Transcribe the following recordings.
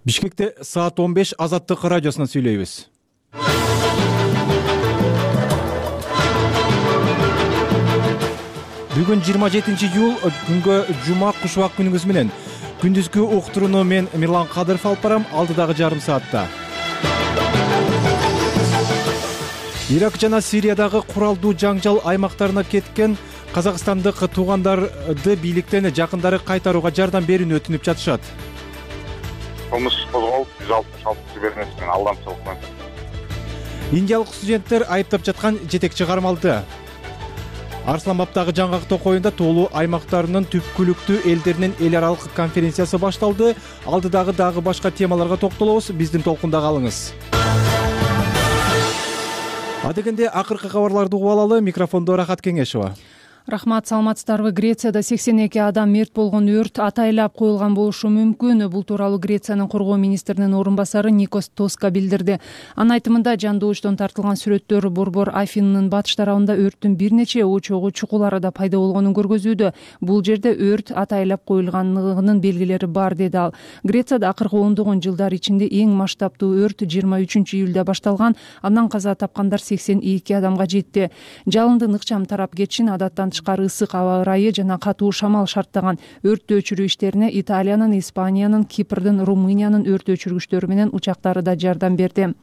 Бишкекте саат 15 Азаттык радиосунан сүйлөйбүз. Бүгүн 27-июл күнгө жума куш убак күнүңүз менен. Күндүзгү уктурууну мен Мирлан Кадыров алып барам алдыдагы жарым саатта. Ирак жана Сириядагы куралдуу жаңжал аймактарына кеткен казакстандык туугандарды бийликтен жакындары кайтарууга жардам берүүнү өтүнүп жатышат. Кылмыш козголуп 166 беренесинен алдамчылык менен. Индиялык студенттер айыптап жаткан жетекчи кармалды. Арсланбаптагы жаңгак токоюнда тоолуу аймактарынын түпкүлүктүү элдеринин эл аралык конференциясы башталды. Алдыдагы дагы башка темаларга токтолобуз. Биздин толкунда калыңыз. Адегенде акыркы кабарларды угуп алалы. Микрофондо Рахат Кеңешова. Рахмат, саламатсыздарбы? Грецияда 82 адам мерт болгон өрт атайлап коюлган болушу мүмкүн. Бул тууралуу Грециянын коргоо министринин орун басары Никос Тоска билдирди. Анын айтымында жандоочтон тартылган сүрөттөр Борбор Афинынын батыш тарабында өрттүн бир нече очогу чукул арада пайда болгонун көргөзүүдө. Бул жерде өрт атайлап коюлганлыгынын белгилери бар, деди ал. Грецияда акыркы ондогон жылдар ичинде эң масштабтуу өрт 23-июлда башталган. Андан каза тапкандар 82 адамга жетти. Жалындын ыкчам тарап кетишин адаттан тышкары ысык аба ырайы жана катуу шамал шарттаган. Өрттү өчүрүү иштерине Италиянын, Испаниянын, Кипрдин, Румыниянын өрт өчүргүчтөрү менен учактары да жардам берди.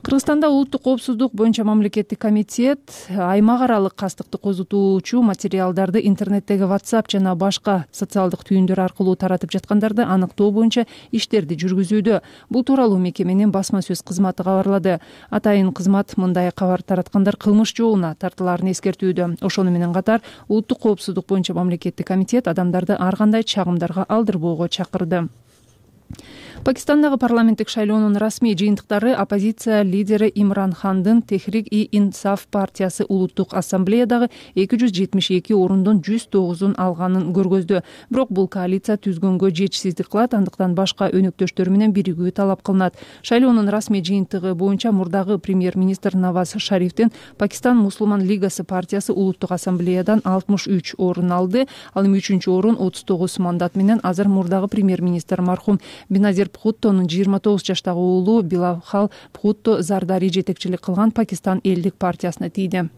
Кыргызстанда улуттук коопсуздук боюнча мамлекеттик комитет аймак аралык кастыкты козутуучу материалдарды интернеттеги WhatsApp жана башка социалдык түйүндөр аркылуу таратып жаткандарды аныктоо боюнча иштерди жүргүзүүдө. Бул тууралуу мекеменин басма сөз кызматы кабарлады. Атайын кызмат мындай кабар тараткандар кылмыш жообуна тартылаарын эскертүүдө. Ошону менен катар улуттук коопсуздук боюнча мамлекеттик комитет адамдарды ар кандай чагымдарга алдырбоого чакырды. Пакистандагы парламенттик шайлоонун расмий жыйынтыктары оппозиция лидери Имран Хандын Техрик-и-Инсаф партиясы улуттук ассамблеядагы 272 орундун 109-ун алганын көргөздү. Бирок бул коалиция түзгөнгө жетишсиздик кылат, андыктан башка өнөктөштөр менен биригүү талап кылынат. Шайлоонун расмий жыйынтыгы боюнча мурдагы премьер-министр Наваз Шарифтин Пакистан Мусулман лигасы партиясы улуттук ассамблеядан 63 орун алды. Ал эми 3-чү орун 39 мандат менен азыр мурдагы премьер-министр мархум Беназир Бхуттонун 29 жаштагы уулу Билавхал Бхутто Зардари жетекчилик кылган Пакистан элдик партиясына тийди.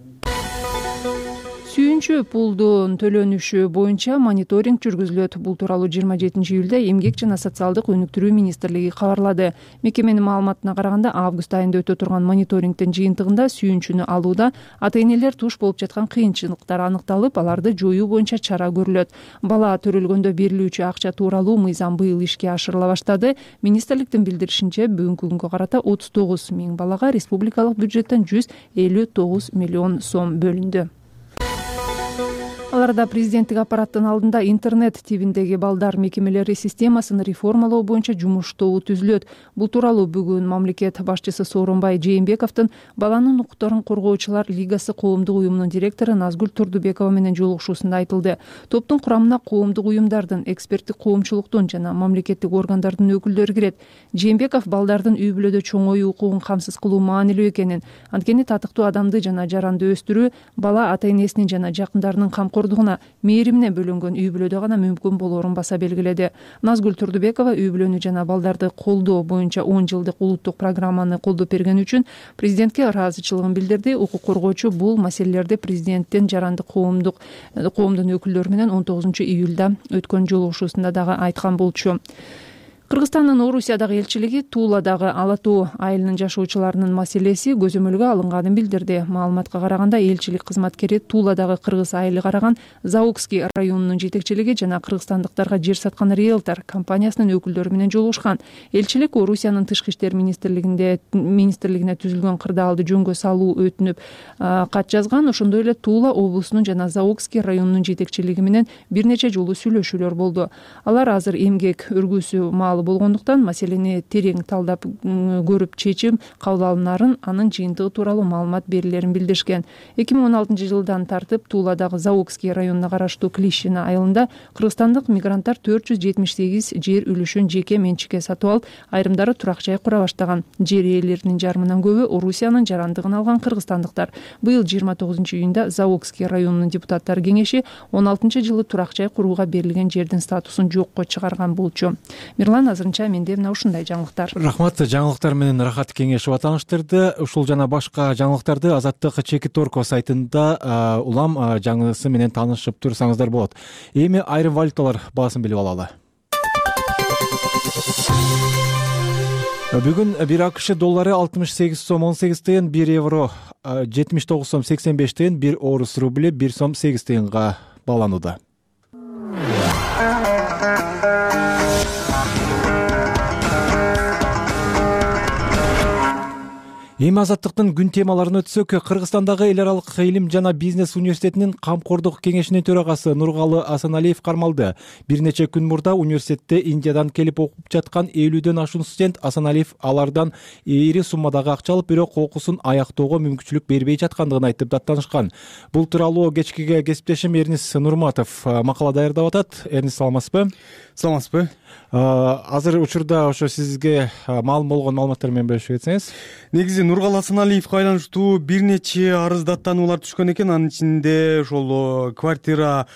Сүйүнчү пулдун төлөнүшү боюнча мониторинг жүргүзүлөт. Бул тууралуу 27-июлда Эмгек жана социалдык өнүктүрүү министрлиги кабарлады. Мекеменин маалыматына караганда, август айында өтө турган мониторингдин жыйынтыгында сүйүнчүнү алууда ата-энелер туш болуп жаткан кыйынчылыктар аныкталып, аларды жоюу боюнча чара көрүлөт. Бала төрөлгөндө берилүүчү акча тууралуу мыйзам быйыл ишке ашырыла баштады. Министрликтин билдиришинче, бүгүнкү күнгө карата 39 000 балага республикалык бюджеттен 159 миллион сом бөлүндү. Аларда президенттик аппараттын алдында интернет тибиндеги балдар мекемелери системасын реформалоо боюнча жумуш тобу түзүлөт. Бул тууралуу бүгүн мамлекет башчысы Сооронбай Жээнбековдун баланын укуктарын коргоочулар лигасы коомдук уюмунун директору Назгүл Турдубекова менен жолугушуусунда айтылды. Топтун курамына коомдук уюмдардын, эксперттик коомчулуктун жана мамлекеттик органдардын өкүлдөрү кирет. Жээнбеков балдардын үй бүлөдө чоңоюу укугун камсыз кылуу маанилүү экенин, анткени татыктуу адамды жана жаранды өстүрүү бала ата-энесинин жана жакындарынын камкордугуна, мээримине бөлөнгөн үй бүлөдө гана мүмкүн болоорун баса белгиледи. Назгүл Турдубекова үй бүлөнү жана балдарды колдоо боюнча 10 жылдык улуттук программаны колдоп бергени үчүн президентке ыраазычылыгын билдирди. Укук коргоочу бул маселелерди президенттин жаранды коомдун өкүлдөрү менен 19-июлда өткөн жолугушуусунда дагы айткан болчу. Кыргызстандын Орусиядагы элчилиги Туладагы Ала Тоо айылынын жашоочуларынын маселеси көзөмөлгө алынганын билдирди. Маалыматка караганда, элчилик кызматкери Туладагы кыргыз айылы караган Заокский районунун жетекчилиги жана кыргызстандыктарга жер саткан риэлтор компаниясынын өкүлдөрү менен жолугушкан. Элчилик Орусиянын тышкы иштер министрлигине түзүлгөн кырдаалды жөнгө салуу өтүнүп кат жазган. Ошондой эле Тула облусунун жана Заокский районунун жетекчилиги менен бир нече жолу сүйлөшүүлөр болду. Алар азыр эмгек өргүүсү болгондуктан маселени терең талдап көрүп чечим кабыл алынаарын, анын жыйынтыгы тууралуу маалымат берилерин билдиришкен. 2016-жылдан тартып Туладагы Заокский районуна караштуу Клишина айылында кыргызстандык мигранттар 478 жер үлүшүн жеке менчикке сатып алып, айрымдары турак жай кура баштаган. Жер ээлеринин жарымынан көбү Орусиянын жарандыгын алган кыргызстандыктар. Быйыл 29-июнда Заокский районунун депутаттар кеңеши 16-жылы турак жай курууга берилген жердин статусун жокко чыгарган болчу. Мирлан Узган азырынча менде мына ушундай жаңылыктар. Рахмат. Жаңылыктар менен Рахат Кеңешова тааныштырды. Ушул жана башка жаңылыктарды Азаттык Чекиторко сайтында улам жаңысы менен таанышып турсаңыздар болот. Эми айрым валюталар баасын билип алалы. Бүгүн 1 АКШ доллары 68 сом 18 тыйын, 1 евро 79 сом 85 тыйын, 1 орус рубль 1 сом 8 тыйынга бааланууда. Эми Азаттыктын күн темаларын өтсөк, Кыргызстандагы эл аралык илим жана бизнес университетинин камкордук кеңешинин төрагасы Нургалы Асаналиев кармалды. Бир нече күн мурда университетте Индиядан келип окуп жаткан 50дөн ашуун студент Асаналиев алардан ири суммадагы акча алып, бирок окуусун аяктоого мүмкүнчүлүк бербей жаткандыгын айтып даттанышкан. Бул тууралуу кечкиге кесиптешим Эрнис Нурматов макала даярдап атат. Эрнис, саламатсызбы? Саламатсызбы. Азыр учурда ошо сизге маалым болгон маалыматтар менен бөлүшүп кетсеңиз. Негизи Нургалы Асаналиевге байланыштуу бир нече арыз даттануулар түшкөн экен. Анын ичинде ошол квартира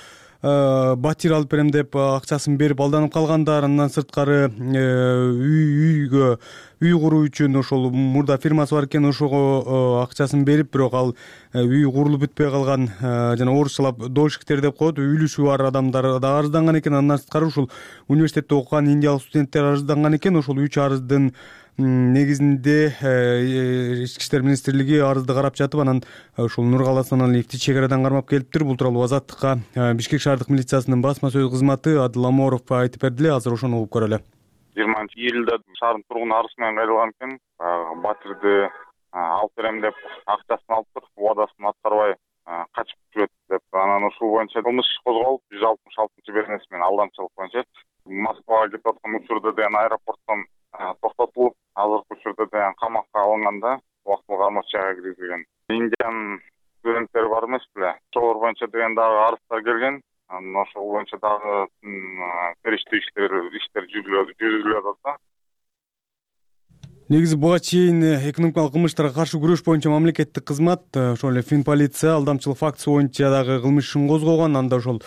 батир алып берем деп акчасын берип алданып калгандар, андан сырткары үй куруу үчүн ошол мурда фирмасы бар экен, ошого акчасын берип, бирок ал үй курулуп бүтпөй калган, жана орусчалап дольщиктер деп коет, үйлүшүү бар адамдар да арызданган экен. Андан сырткары ушул университетте окуган индиялык студенттер арызданган экен. Ошол 3 арыздын негизинде Ички иштер министрлиги арызды карап жатып, анан ушул Нургалы Асаналиевди чек арадан кармап келиптир. Бул тууралуу Азаттыкка Бишкек шаардык милициясынын басма сөз кызматы Адыл Аморов айтып берди эле. Азыр ошону угуп көрөлү. 20-июлда шаардын тургуну арыз менен кайрылган экен. Батирди алып берем деп акчасын алыптыр, убадасын аткарбай качып жүрөт деп. Анан ушул боюнча кылмыш иш козголуп, 166-беренеси менен алдамчылык боюнча Москвага кетип аткан учурда деген аэропорттон токтотулуп, азыркы учурда деген камакка алынганда убактылуу кармоочу жайга киргизилген. Индиянын студенттери бар эмес беле? Ошолор боюнча деген дагы арыздар келген. Анан ошол боюнча дагы териштүү иштер жүргүзүлүп атат. Негизи буга чейин экономикалык кылмыштарга каршы күрөш боюнча мамлекеттик кызмат, ошол эле Финполиция алдамчылык фактысы боюнча дагы кылмыш ишин козгогон. Анда ошол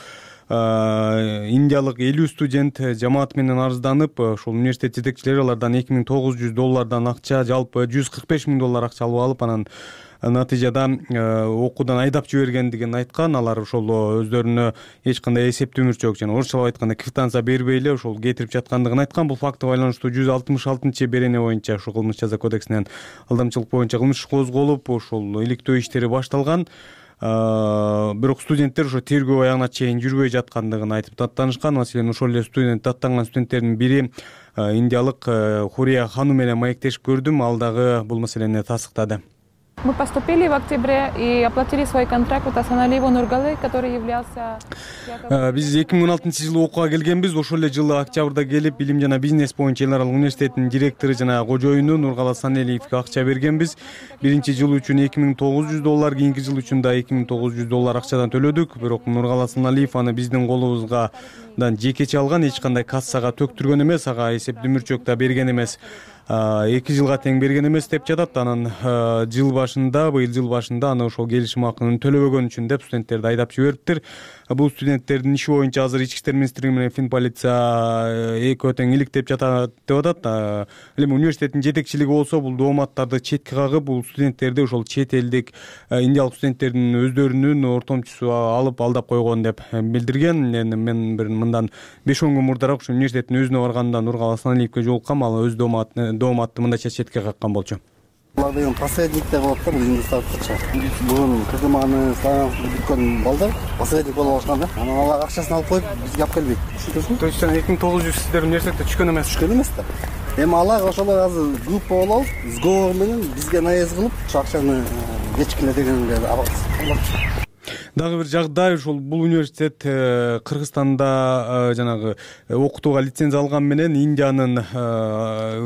индиялык 50 студент жамаат менен арызданып, ошол университет жетекчилери алардан $2,900 акча, жалпы $145,000 акча алып, анан натыйжада окуудан айдап жибергендигин айткан. Алар ошол өздөрүнө эч кандай эсептүү мүрчөк жана орусчалап айтканда квитанция бербей эле ошол кетирип жаткандыгын айткан. Бул фактыга байланыштуу 166-берене боюнча ошол кылмыш жаза кодексинен алдамчылык боюнча кылмыш козголуп, ошол иликтөө иштери башталган. Бирок студенттер ошо тергөө аягына чейин жүрбөй жаткандыгын айтып даттанышкан. Маселен, ошол эле даттанган студенттердин бири индиялык Хурия хану менен маектешип көрдүм. Ал дагы бул маселени тастыктады. Мы поступили в октябре и оплатили свой контракт от Асаналиева Нургалы, который являлся... Биз 2016-жылы окууга келгенбиз. Ошол эле жылы октябрда келип, илим жана бизнес боюнча эл аралык университеттин директору жана кожоюну Нургалы Асаналиевге акча бергенбиз. Биринчи жыл үчүн $2,900, кийинки жыл үчүн да $2,900 акчадан төлөдүк. Бирок Нургалы Асаналиев аны биздин колубузга жекече алган, эч кандай кассага төктүргөн эмес, ага эсептүү мүрчөк да берген эмес. 2 жылга тең берген эмес деп жатат. Анан быйыл жыл башында аны ошол келишим акынын төлөбөгөн үчүн деп студенттерди айдап жибериптир. Бул студенттердин иши боюнча азыр Ички иштер министрлиги менен Финполиция экөө тең иликтеп жатат деп атат. Эми университеттин жетекчилиги болсо бул дооматтарды четке кагып, бул студенттерди ошол чет элдик индиялык студенттердин өздөрүнүн ортомчусу алып алдап койгон деп билдирген. Мен бир мындан 5-10 күн мурдараак ушу университеттин өзүнө барганда Нургалы Асаналиевге жолуккам. Ал өз дооматты мындайча четке каккан болчу. Булар деген посредник деп болот да, биздин статусча. Бүгүн КТМаны бүткөн балдар посредник болуп алышкан да. Анан алар акчасын алып коюп, бизге алып келбейт. То есть 2900 сиздер университетте түшкөн эмес да. Эми алар ошолор азыр группа болуп, сговор менен бизге наезд кылып, акчаны кечкиле дегенге абакчы. Дагы бир жагдай, ошол бул университет Кыргызстанда жанагы окутууга лицензия алган менен Индиянын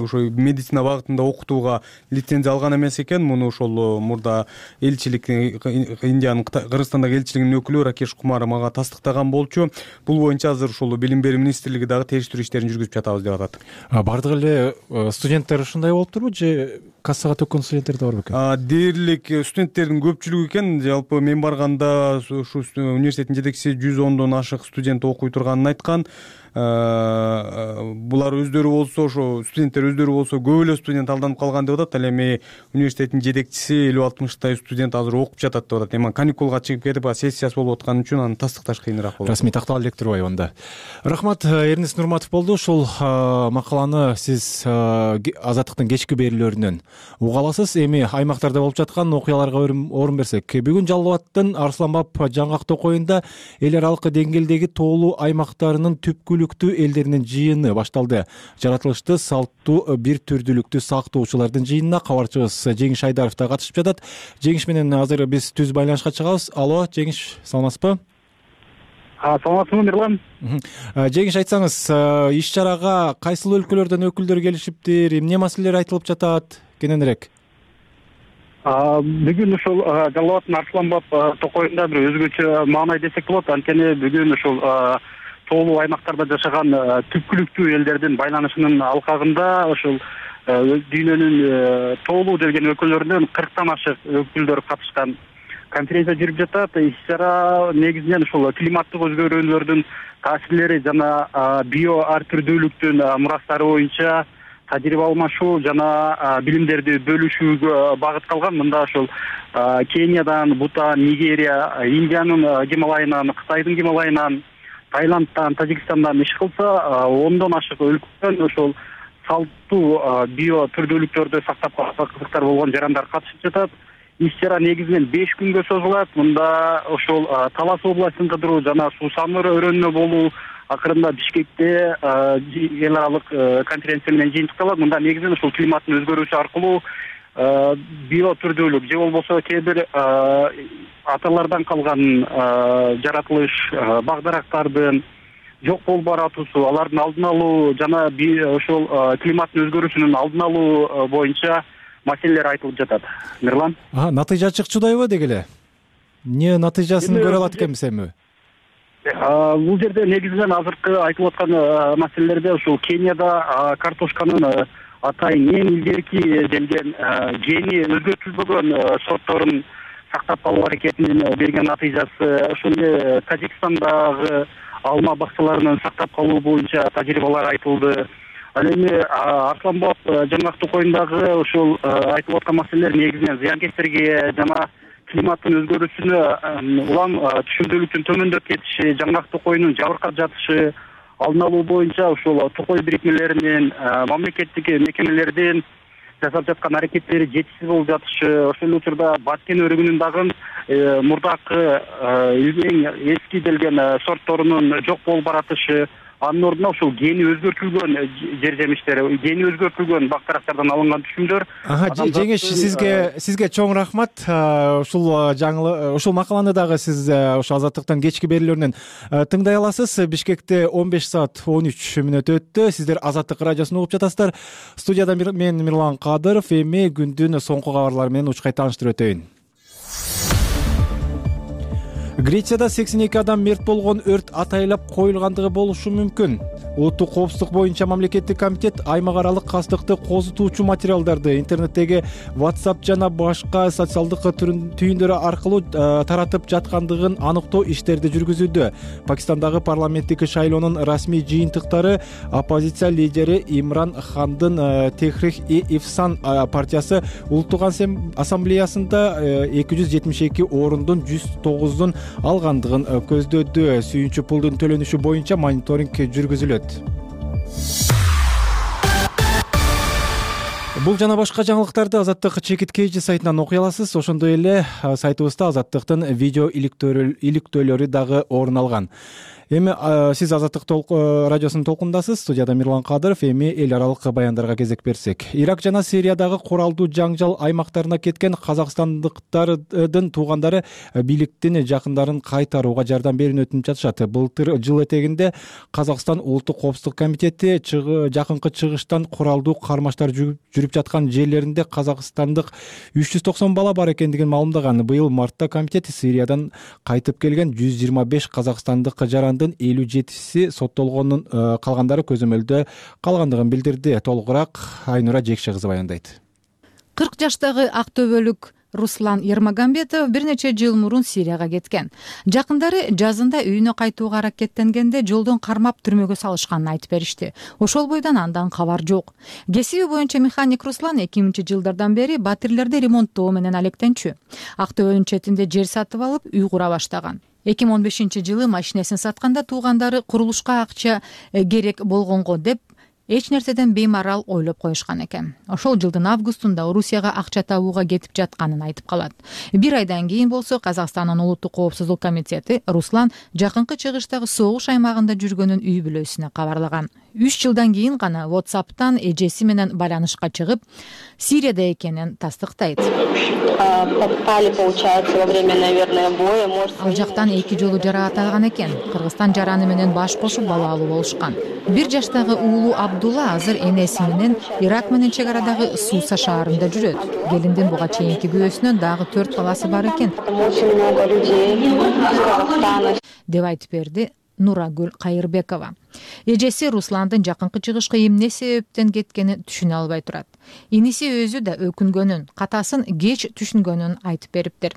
ошо медицина багытында окутууга лицензия алган эмес экен. Муну ошол мурда элчилик, Индиянын Кыргызстандагы элчилигинин өкүлү Ракеш Кумар мага тастыктаган болчу. Бул боюнча азыр ошол билим берүү министрлиги дагы териштирүү иштерин жүргүзүп жатабыз деп атат. Бардык эле студенттер ушундай болуптурбу же кассага төккөн студенттер да бар бекен? Дээрлик студенттердин көпчүлүгү экен. Жалпы мен барганда ушу университеттин жетекчиси 110дон ашык студент окуй турганын айткан. Булар алар өздөрү болсо ошо студенттер өздөрү болсо көп эле студент алданып калган деп атат. Ал эми университеттин жетекчиси 50-60 студент азыр окуп жатат деп атат. Эми каникулга чыгып кетип сессиясы болуп аткан үчүн аны тастыкташ кыйыныраак болот. Расмий такталып элек турбайбы анда? Рахмат, Эрнест Нурматов болду. Ушул макаланы сиз Азаттыктын кечки берүүлөрүнөн уга аласыз. Эми аймактарда болуп жаткан окуяларга орун берсек, бүгүн Жалал Абадтын Арсланбап жаңгак токоюнда эл аралык деңгээлдеги тоолуу аймактарынын түпкүлүктүү элдеринин жыйыны башталды. Жаратылышты, салттуу, бир түрдүүлүктү сактоочулардын жыйынына кабарчыбыз Жеңиш Айдаров да катышып жатат. Жеңиш менен азыр биз түз байланышка чыгабыз. Алло, Жеңиш, саламатсызбы? Саламатсызбы, Мирлан? Жеңиш, айтсаңыз, иш-чарага кайсыл өлкөлөрдөн өкүлдөр келишиптир, эмне маселелер айтылып жатат, кененирээк? Бүгүн ушул Жалал Абадтын Арсланбап токоюнда бир өзгөчө маанай десек болот. Анткени бүгүн ушул тоолуу аймактарда жашаган түпкүлүктүү элдердин байланышынын алкагында ушул дүйнөнүн тоолуу делген өлкөлөрүнөн 40тан ашык өкүлдөр катышкан конференция жүрүп жатат. Иш-чара негизинен ушул климаттык өзгөрүүлөрдүн таасирлери жана био ар түрдүүлүктүн мурастары боюнча тажрыйба алмашуу жана билимдерди бөлүшүүгө багытталган. Мында ушул Кениядан, Бутан, Нигерия, Индиянын Гималайынан, Кытайдын Гималайынан, Таиландтан, Тажикстандан иш кылса, 10дон ашык өлкөдөн ушул салттуу био түрдүүлүктөрдү сактап калган кызыктар болгон жарандар катышып жатат. Иш-чара негизинен 5 күнгө созулат. Мында ошол Талас областын кыдыруу жана суусамыр өрөөнүнө болуу акырында Бишкекте эл аралык конференция менен жыйынтыкталат. Мында негизинен ушул климаттын өзгөрүүсү аркылуу био түрдүүлүк же болбосо кээ бир аталардан калган жаратылыш багдарактардын жок болуп баратуусу, алардын алдын алуу жана ошол климаттын өзгөрүүсүнүн алдын алуу боюнча маселелер айтылып жатат. Мирлан? Натыйжа чыкчудайбы деги эле? Эмне натыйжасын көрө алат экенбиз эми? Бул жерде негизинен азыркы айтылып аткан маселелерде ушул Кенияда картошканын атайын эң илгерки делген гени өзгөртүлбөгөн сортторун сактап калуу аракетинин берген натыйжасы, ошол эле Тажикстандагы алма бакчаларынын сактап калуу боюнча тажрыйбалар айтылды. Ал эми Арсланбап жаңгак токоюндагы ушул айтылып аткан маселелер негизинен зыянкечтерге жана климаттын өзгөрүүсүнө улам түшүмдүүлүктүн төмөндөп кетиши, жаңгак токоюнун жабыркап жатышы, алдын алуу боюнча ушул токой бирикмелеринин мамлекеттик мекемелердин жасап жаткан аракеттери жетишсиз болуп жатышы, ошол учурда Баткен өрүгүнүн дагы мурдакы эң эски делген сортторунун жок болуп баратышы, анын ордуна ушул гени өзгөртүлгөн жер жемиштер, гени өзгөртүлгөн бактарактардан алынган түшүмдөр. Жеңиш, сизге чоң рахмат. Ушул макаланы дагы сиз ошо Азаттыктын кечки берүүлөрүнөн тыңдай аласыз. Бишкекте 15 саат 13 мүнөт өттү. Сиздер Азаттык радиосун угуп жатасыздар. Студияда мен Мирлан Кадыров. Эми күндүн соңку кабарлары менен учкай тааныштырып өтөйүн. Грецияда 82 адам мерт болгон өрт атайлап коюлгандыгы болушу мүмкүн. Улуттук коопсуздук боюнча мамлекеттик комитет аймак аралык кастыкты козутуучу материалдарды интернеттеги WhatsApp жана башка социалдык түйүндөрү аркылуу таратып жаткандыгын аныктоо иштерди жүргүзүүдө. Пакистандагы парламенттик шайлоонун расмий жыйынтыктары оппозиция лидери Имран Хандын Техрих-и-Инсан партиясы Улуттук ассамблеясында 272 орундун 109-дун алгандыгын көздөдү. Сүйүнчү пулдун төлөнүшү боюнча мониторинг жүргүзүлөт. Бул жана башка жаңылыктарды Азаттык чекит KG сайтынан окуй аласыз. Ошондой эле сайтыбызда Азаттыктын видео иликтөөлөрү дагы орун алган. Эми сиз Азаттык радиосунун толкундасыз. Студияда Мирлан Кадыров. Эми эл аралык баяндарга кезек берсек. Ирак жана Сириядагы куралдуу жаңжал аймактарына кеткен казакстандыктардын туугандары бийликтин жакындарын кайтарууга жардам берүүнү өтүнүп жатышат. Былтыр жыл этегинде Казакстан Улуттук коопсуздук комитети жакынкы чыгыштан куралдуу кармаштар жүрүп жаткан жерлеринде казакстандык 390 бала бар экендигин маалымдаган. Быйыл мартта комитет Сириядан кайтып келген 125 казакстандык жарандын 57си соттолгонун, калгандары көзөмөлдө калгандыгын билдирди. Толугураак Айнура Жекше кызы баяндайт. 40 жаштагы актөбөлүк Руслан Ермагамбетов бир нече жыл мурун Сирияга кеткен. Жакындары жазында үйүнө кайтууга аракеттенгенде жолдон кармап түрмөгө салышканын айтып беришти. Ошол бойдон андан кабар жок. Кесиби боюнча механик Руслан 2000-жылдардан бери батирлерди ремонттоо менен алектенчү. Актөбөнүн четинде жер сатып алып, үй кура баштаган. 2015-жылы машинесин сатканда туугандары курулушка акча керек болгонго деп эч нерседен беймарал ойлоп коюшкан экен. Ошол жылдын августунда Орусияга акча табууга кетип жатканын айтып калат. Бир айдан кийин болсо Казакстандын улуттук коопсуздук комитети Руслан жакынкы чыгыштагы согуш аймагында жүргөнүн үй бүлөсүнө кабарлаган. 3 жылдан кийин гана WhatsApp'тан эжеси менен байланышка чыгып, Сирияда экенин тастыктайт. Ал жактан 2 жолу жаракат экен. Кыргызстан жараны менен баш кошуп бала алуу болушкан. 1 жаштагы уулу Абдулла азыр энеси менен Ирак менен чек арадагы Суса шаарында жүрөт. Келиндин буга чейинки күйөөсүнөн дагы 4 баласы бар экен, деп айтып берди Нурагүл Кайырбекова. Эжеси Русландын жакынкы чыгышка эмне себептен кеткенин түшүнө албай турат. Иниси өзү да өкүнгөнүн, катасын кеч түшүнгөнүн айтып бериптир.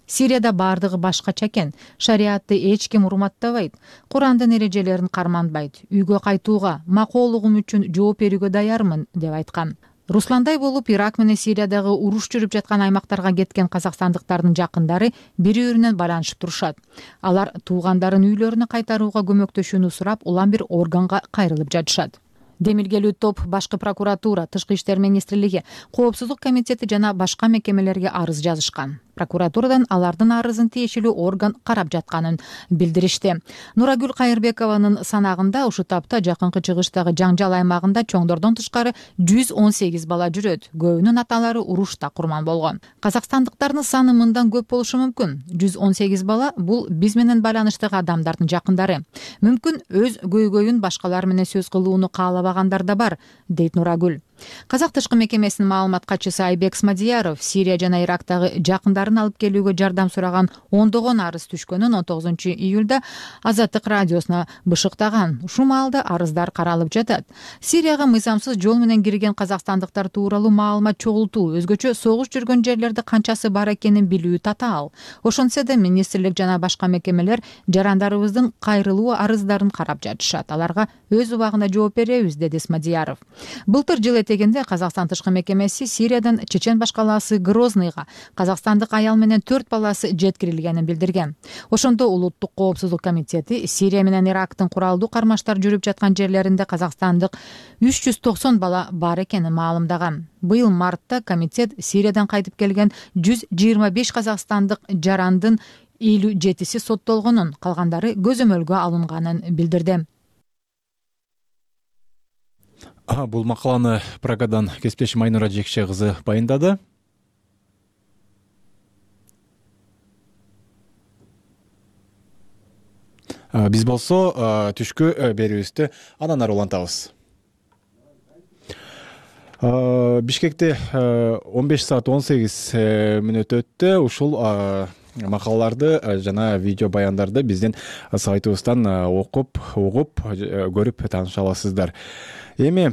Сирияда бардыгы башкача экен. Шариатты эч ким урматтабайт. Курандын эрежелерин карманбайт. Үйгө кайтууга, макоолугум үчүн жооп берүүгө даярмын, деп айткан. Русландай болуп Ирак менен Сириядагы уруш жүрүп жаткан аймактарга кеткен казакстандыктардын жакындары бири-биринен байланышып турушат. Алар туугандарын үйлөрүнө кайтарууга көмөктөшүүнү сурап, улам бир органга кайрылып жатышат. Демилгелүү топ Башкы прокуратура, Тышкы иштер министрлиги, Коопсуздук комитети жана башка мекемелерге арыз жазышкан. Прокуратурадан алардын арызын тиешелүү орган карап жатканын билдиришти. Нурагүл Кайырбекованын санагында ушул тапта жакынкы чыгыштагы жаңжал аймагында чоңдордон тышкары 118 бала жүрөт. Көбүнүн аталары урушта курман болгон. Казакстандыктардын саны мындан көп болушу мүмкүн. 118 бала бул биз менен байланыштагы адамдардын жакындары. Мүмкүн өз көйгөйүн башкалар менен сөз кылууну каалабагандар да бар, дейт Нурагүл. Казак тышкы мекемесинин маалымат катчысы Айбек Смадияров Сирия жана Ирактагы жакындарын алып келүүгө жардам сураган ондогон арыз түшкөнүн 19-июлда Азаттык радиосуна бышыктаган. Ушул маалда арыздар каралып жатат. Сирияга мыйзамсыз жол менен кирген казакстандыктар тууралуу маалымат чогултуу, өзгөчө согуш жүргөн жерлерде канчасы бар экенин билүү татаал. Ошентсе да министрлик жана башка мекемелер жарандарыбыздын кайрылуу арыздарын карап жатышат. Аларга өз убагында жооп беребиз, деди Смадияров. Былтыр жыл этегинде Казакстан тышкы мекемеси Сириядан чечен башкаласы Грознойго казакстандык аял менен 4 баласы жеткирилгенин билдирген. Ошондо улуттук коопсуздук комитети Сирия менен Ирактын куралдуу кармаштар жүрүп жаткан жерлеринде казакстандык 390 бала бар экенин маалымдаган. Быйыл мартта комитет Сириядан кайтып келген 125 казакстандык жарандын 57си соттолгонун, калгандары көзөмөлгө алынганын билдирди. Бул макаланы Прагадан кесиптешим Айнура Жекше кызы байындады. Биз болсо түшкү берүүбүздү андан ары улантабыз. Бишкекте 15 саат 18 мүнөт өттү. Ушул макалаларды жана видео баяндарды биздин сайтыбыздан окуп, угуп, көрүп тааныша аласыздар. Эми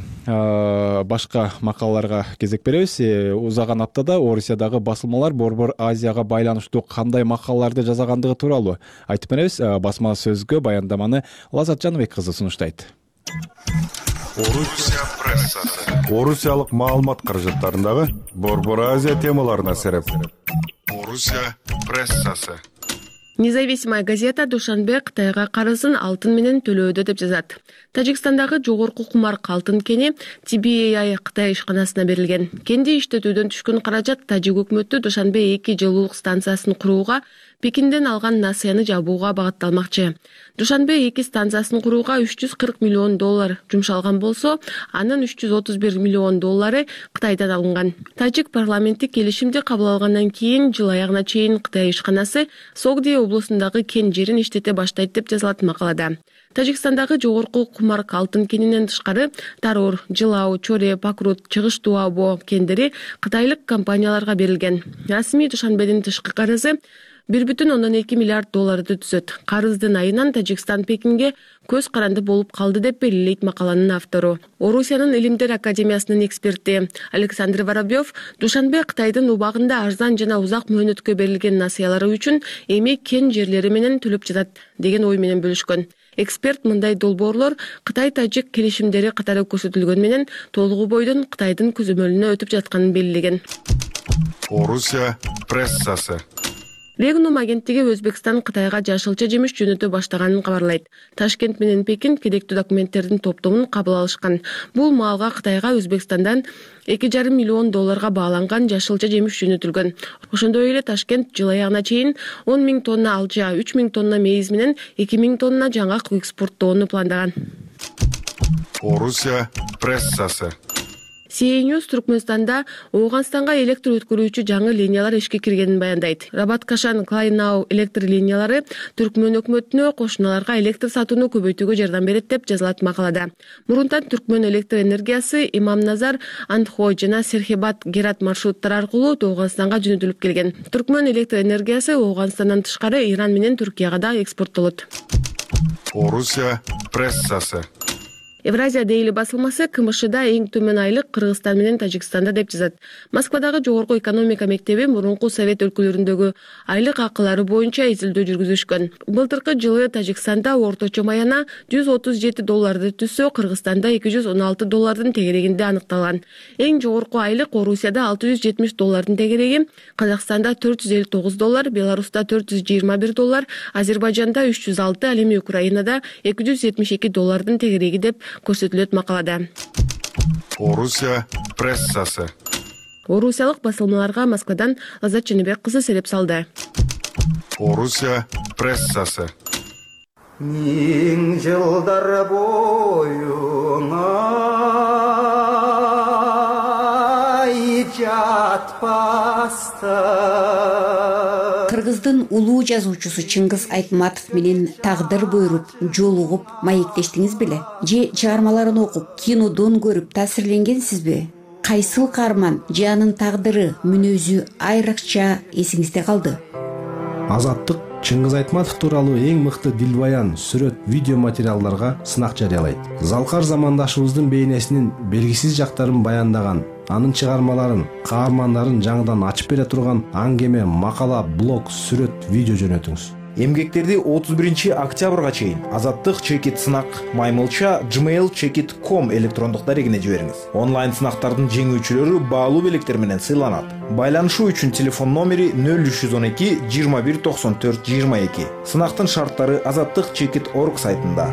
башка макалаларга кезек беребиз. Узаган аптада Орусиядагы басылмалар Борбор Азияга байланыштуу кандай макалаларды жазагандыгы тууралуу айтып беребиз. Басма сөзгө баяндаманы Лазат Жаныбек кызы сунуштайт. Орусия прессасы. Орусиялык маалымат каражаттарындагы Борбор Азия темаларына сереп. Орусия прессасы. Независимая газета Душанбе Кытайга карызын алтын менен төлөөдө деп жазат. Тажикстандагы жогорку кумарка алтын кени TBAI Кытай ишканасына берилген. Кенди иштетүүдөн түшкөн каражат тажик өкмөтү Душанбе 2 жылуулук станциясын курууга, Пекинден алган насыяны жабууга багытталмакчы. Душанбе 2 станциясын курууга $340 миллион жумшалган болсо, анын $331 миллион Кытайдан алынган. Тажик парламенти келишимди кабыл алгандан кийин жыл аягына чейин Кытай ишканасы Согди облусундагы кен жерин иштете баштайт деп жазылат макалада. Тажикстандагы жогорку кумарка алтын кенинен тышкары Тарур, Джилау, Чоре, Пакрут, Чыгыш Туабо кендери кытайлык компанияларга берилген. Расмий Душанбедин тышкы карызы $1,2 миллиард түзөт. Карыздын айынан Тажикстан Пекинге көз каранды болуп калды деп белгилейт макаланын автору. Орусиянын Илимдер академиясынын эксперти Александр Воробьев Душанбе Кытайдын убагында арзан жана узак мөөнөткө берилген насыялары үчүн эми кен жерлери менен төлөп жатат деген ой менен бөлүшкөн. Эксперт мындай долбоорлор Кытай-Тажик келишимдери катары көрсөтүлгөн менен толугу бойдон Кытайдын көзөмөлүнө өтүп жатканын белгилеген. Орусия прессасы. Регнум агенттиги Өзбекстан Кытайга жашылча жемиш жөнөтө баштаганын кабарлайт. Ташкент менен Пекин керектүү документтердин топтомун кабыл алышкан. Бул маалга Кытайга Өзбекстандан $2,5 миллион бааланган жашылча жемиш жөнөтүлгөн. Ошондой эле Ташкент жыл аягына чейин 10,000 тонна алжа, 3,000 тонна мейиз менен 2,000 тонна жаңгак экспорттоону пландаган. Орусия прессасы. CNN Түркмөнстанда Ооганстанга электр өткөрүүчү жаңы линиялар ишке киргенин баяндайт. Рабат-Кашан-Клайнау электр линиялары Түркмөн өкмөтүнө кошуналарга электр сатууну көбөйтүүгө жардам берет деп жазылат макалада. Мурунтан Түркмөн электр энергиясы Имамназар, Антхой жана Серхебат Герат маршруттары аркылуу Ооганстанга жөнөтүлүп келген. Түркмөн электр энергиясы Ооганстандан тышкары Иран менен Түркияга да экспорттолот. Орусия прессасы. Евразия Дейли басылмасы КМШда эң төмөн айлык Кыргызстан менен Тажикстанда деп жазат. Москвадагы жогорку экономика мектеби мурунку совет өлкөлөрүндөгү айлык акылары боюнча изилдөө жүргүзүшкөн. Былтыркы жылы Тажикстанда орточо маяна $137 түссө, Кыргызстанда $216 тегерегинде аныкталган. Эң жогорку айлык Орусияда $670 тегереги, Казакстанда $459, Беларуста $421, Азербайжанда $306, ал эми Украинада $272 тегереги деп көрсөтүлөт макалада. Орусия прессасы. Орусиялык басылмаларга Москвадан Азат Ченебек кызы сереп салды. Орусия прессасы. Миң жылдар боюңа жатпастан. Кыргыздын улуу жазуучусу Чыңгыз Айтматов менен тагдыр буйруп, жолугуп, маектештиңиз беле? Же чыгармаларын окуп, кинодон көрүп таасирленгенсизби? Кайсыл каарман же анын тагдыры, мүнөзү айрыкча эсиңизде калды? Азаттык Чыңгыз Айтматов тууралуу эң мыкты дилбаян, сүрөт, видео материалдарга сынак жарыялайт. Залкар замандашыбыздын бейнесинин белгисиз жактарын баяндаган, анын чыгармаларын, каармандарын жаңыдан ачып бере турган аңгеме, макала, блог, сүрөт, видео жөнөтүңүз. Эмгектерди 31 октябрга чейин Азаттык чекит сынак маймылча gmail.com электрондук дарегине жибериңиз. Онлайн сынактардын жеңүүчүлөрү баалуу белектер менен сыйланат. Байланышуу үчүн телефон номери 0312 21 94 22. Сынактын шарттары azattikchekit.org сайтында.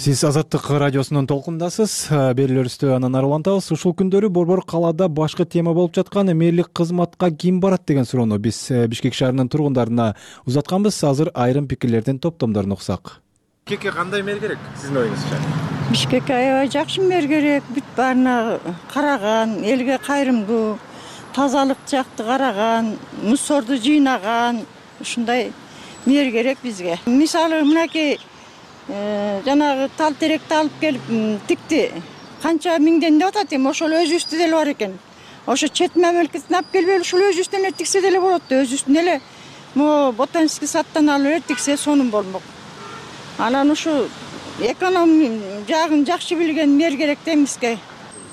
Сиз Азаттык радиосунун толкундасыз. Берүүлөрүбүздү анан ары улантабыз. Ушул күндөрү Борбор калаада башкы тема болуп жаткан мээрлик кызматка ким барат деген суроону биз Бишкек шаарынын тургундарына узатканбыз. Азыр айрым пикирлердин топтомдорун уксак. Бишкекке кандай мэр керек сиздин оюңузча? Бишкекке аябай жакшы мэр керек. Бүт баарына караган, элге кайрымдуу, тазалык жакты караган, мусорду жыйнаган, ушундай мэр керек бизге. Мисалы мынакей жанагы тал теректи алып келип тикти. Канча миңден деп атат эми, ошол өзүбүздө деле бар экен. Ошо чет мамлекеттен алып келип ушул өзүбүздөн эле тиксе деле болот да, өзүбүздөн эле могу ботанический садтан алып эле тиксе сонун болмок. Анан ушу эконом жагын жакшы билген мэр керек да бизге.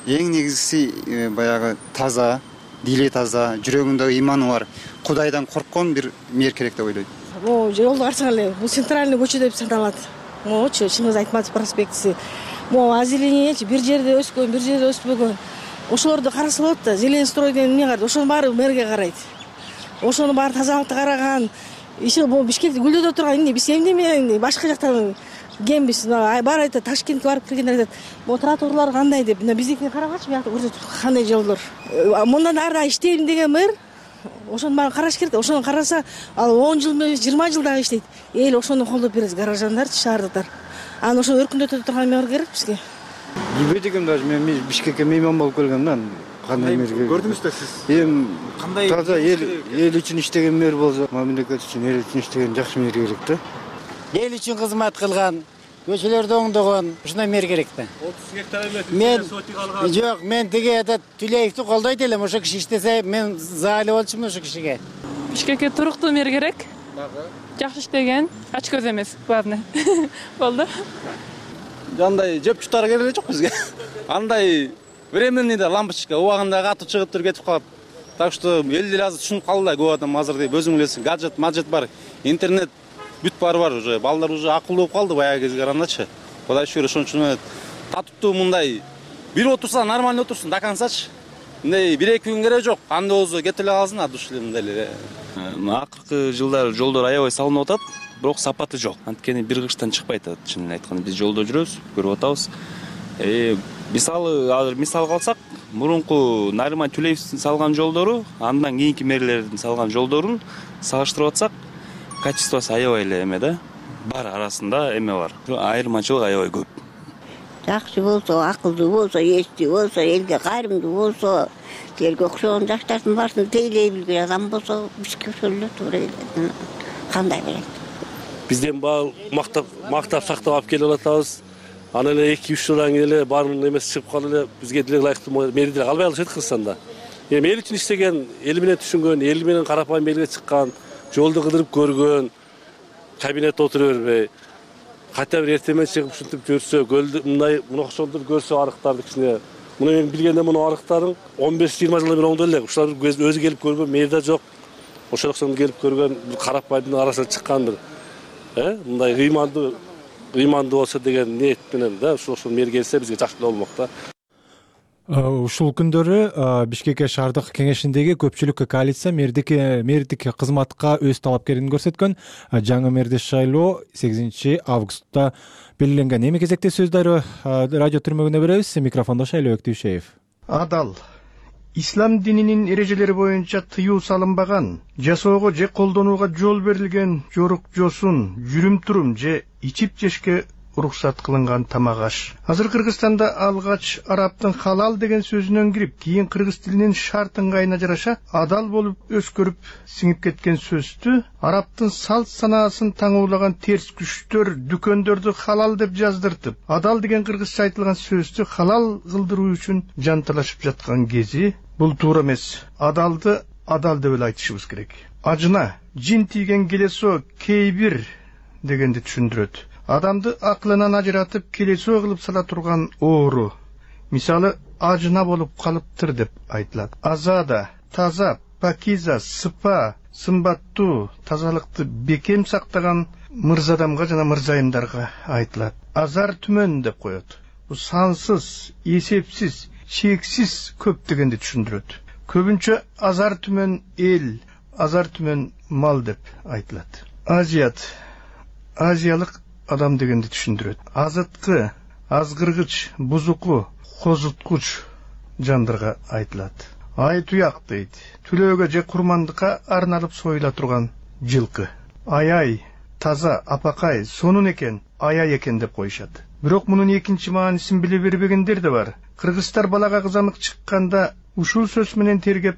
Эң негизгиси баягы таза, дили таза, жүрөгүндө иманы бар, Кудайдан корккон бир мэр керек деп ойлойм. Могу жолду карасаң эле, бул центральный көчө деп саналат. Могучу Чыңгыз Айтматов проспектиси. Могу озеленениечи бир жерде өскөн, бир жерде өспөгөн. Ошолорду караса болот да, Зеленстрой деген эмне бар, ошонун баары мэрге карайт. Ошонун баары тазалыкты караган. Иши бул Бишкекти гүлдөтө турган эмне, биз эмне менен башка жактан кембиз. Баары айтат, Ташкентке барып келгендер айтат, могу тротуарлар кандай деп. Биздикине карабачы, биякта көрсөтүп кандай жолдор. Мындан ары иштейм деген мэр ошонун баарын караш керек да. Ошону караса, ал 10 жыл эмес, 20 жыл дагы иштейт. Эл ошону колдоп берет, гаражандарчы, шаардыктар. Анан ошону өркүндөтө турган мэр керек бизге. Билбейт экенмин даже, мен Бишкекке мейман болуп келгем да. Кандай мэр керек? Көрдүңүз да сиз? Эми кандай таза эл үчүн иштеген мэр болсо, мамлекет үчүн, эл үчүн иштеген жакшы мэр керек да. Эл үчүн кызмат кылган, көчөлөрдү оңдогон ушундай мэр керек да. 30 гектар эмес. Мен жок, мен тиги этот Түлеевди колдойт элем. Ошо киши иштесе мен заалып болчумун ошо кишиге. Бишкекке туруктуу мэр керек. Жакшы иштеген, ач көз эмес, главное. Болду. Андай жеп жутары керек жок бизге. Андай временный да лампочка убагында катып чыгып туруп кетип калат. Так что эл деле азыр түшүнүп калды да, көп адам азыр деп өзүң билесиң, гаджет бар, интернет бүт бар уже. Балдар уже акылдуу болуп калды баягы кезге карагандачы. Кудай шүгүр ошон үчүн татыптуу мындай бир отурса нормально отурсун до концачы. Мындай 1-2 күн керек жок. Кандай болсо кете эле калсын, душ эле мындай эле. Акыркы жылдар жолдор аябай салынып атат, бирок сапаты жок. Анткени бир кыштан чыкпайт атат. Чынын айтканда биз жолдо жүрөбүз, көрүп атабыз. Мисалы азыр мисалга алсак, мурунку Нариман Түлеевдин салган жолдору, андан кийинки мэрлердин салган жолдорун салыштырып атсак, качествосу аябай эле эме да. Бар арасында эме бар. Айырмачылык аябай көп. Жакшы болсо, акылдуу болсо, эстүү болсо, элге кайрымдуу болсо, тилерге окшогон жаштардын баарсын тейлей билген адам болсо, бизге ошол эле туура эле. Кандай берет? Бизден мактап сактап алып келип атабыз. Аны эле 2-3 жылдан кийин эле баарын эмеси чыгып калып эле бизге деле ылайыктуу мэри деле калбай калышат Кыргызстанда. Эми эл үчүн иштеген, эл менен түшүнгөн, эл менен карапайым элге чыккан, жолду кыдырып көргөн, кабинетте отура бербей, кайта бир эртемен чыгып ушинтип көрсө, көлдү мындай мына окшолдур көрсө арыктарды кичине. Муну мен билгенде муну арыктарын 15-20 жылдан бери оңдой элек. Ушулар өзү келип көргөн мэр да жок. Ошол окшондо келип көргөн карапайымдын арасына чыккандыр. Мындай ыймандуу болсо деген ниет менен да ошол мэр келсе бизге жакшы болмок да. Ушул күндөрү Бишкек шаардык кеңешиндеги көпчүлүк коалиция мэрдик кызматка өз талапкерин көрсөткөн. Жаңы мэрди шайлоо 8 августта белгиленген. Эми кезекте сөздөрү радио түрмөгүнө беребиз. Микрофондо Шайлообек Түйшеев. Адал ислам дининин эрежелери боюнча тыюу салынбаган, жасоого же колдонууга жол берилген жорук жосун, жүрүм-турум же ичип жешке уруксат кылынган тамак аш. Азыр Кыргызстанда алгач арабтын халал деген сөзүнөн кирип, кийин кыргыз тилинин шарт ыңгайына жараша адал болуп өскөрүп сиңип кеткен сөздү арабтын салт санаасын таңуулаган терс күчтөр дүкөндөрдү халал деп жаздыртып, адал деген кыргызча айтылган сөздү халал кылдыруу үчүн жанталашып жаткан кези бул туура эмес. Адалды адал деп эле айтышыбыз керек. Ажына жин тийген келесо кейбир дегенди түшүндүрөт. Адамды акылынан ажыратып келесөө кылып сала турган оору. Мисалы ажына болуп калыптыр деп айтылат. Азада, таза, пакиза, сыпа, сымбаттуу, тазалыкты бекем сактаган мырзадамга жана мырзайымдарга айтылат. Азар түмөн деп коет. Бул сансыз, эсепсиз, чексиз көп дегенди түшүндүрөт. Көбүнчө азар түмөн эл, азар түмөн мал деп айтылат. Азиялык адам дегенди түшүндүрөт. Азыткы, азгыргыч, бузуку, козуткуч жандарга айтылат. Ай туяк дейт. Түлөөгө же курмандыкка арналып союла турган жылкы. Ай, таза, апакай, сонун экен, аяй экен деп коюшат. Бирок мунун экинчи маанисин биле бербегендер да бар. Кыргыздар балага кызамык чыкканда ушул сөз менен тергеп,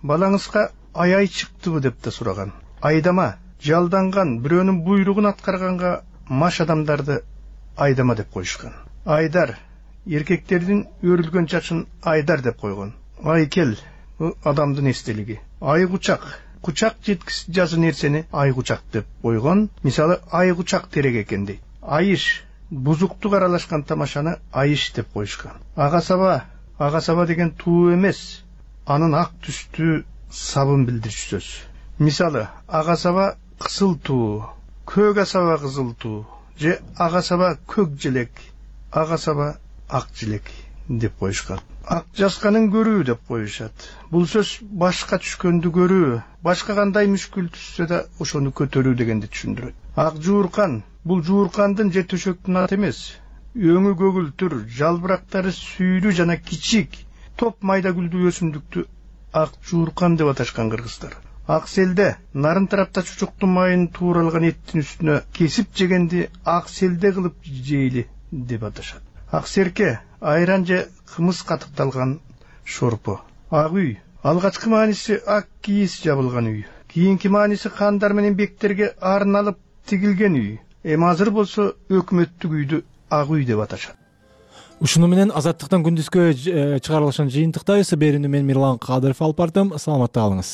балаңызга аяй чыктыбы деп да сураган. Айдама, жалданган, бирөөнүн буйругун аткарганга маш адамдарды айдама деп коюшкан. Айдар, эркектердин өрүлгөн чачын айдар деп койгон. Айкел, адамдын эстелиги. Айгучак, кучак жеткис жазы нерсени айгучак деп койгон. Мисалы айгучак терек экен дейт. Айыш, бузуктук аралашкан тамашаны айыш деп коюшкан. Ага-саба деген туу эмес, анын ак түстүү сабын билдирчү сөз. Мисалы ага-саба кызыл туу, көк асаба кызыл туу, же ага-саба көк желек, ага-саба ак желек деп коюшкан. Ак жасканын көрүү деп коюшат. Бул сөз башка түшкөндү көрүү, башка кандай мүшкүл түшсө да ошону көтөрүү дегенди түшүндүрөт. Ак жууркан, бул жууркандын же төшөктүн аты эмес. Өңү көгүлтүр, жалбырактары сүйрүү жана кичик, топ майда гүлдүү өсүмдүктү ак жууркан деп аташкан кыргыздар. Ак селде нарын тарапта чучуктун майын тууралган эттин үстүнө кесип жегенди ак селде кылып жейли деп аташат. Ак серке айран же кымыз катыкталган шорпо. Ак үй, алгачкы мааниси ак кийиз жабылган үй. Кийинки мааниси хандар менен бектерге арналып тигилген үй. эми азыр болсо өкмөттүк үйдү ак үй деп аташат. Ушуну менен Азаттыктан күндүзгө чыгарылышын жыйынтыктайбыз. Берүүнү мен Мирлан Кадыров алып бардым. Саламатта калыңыз.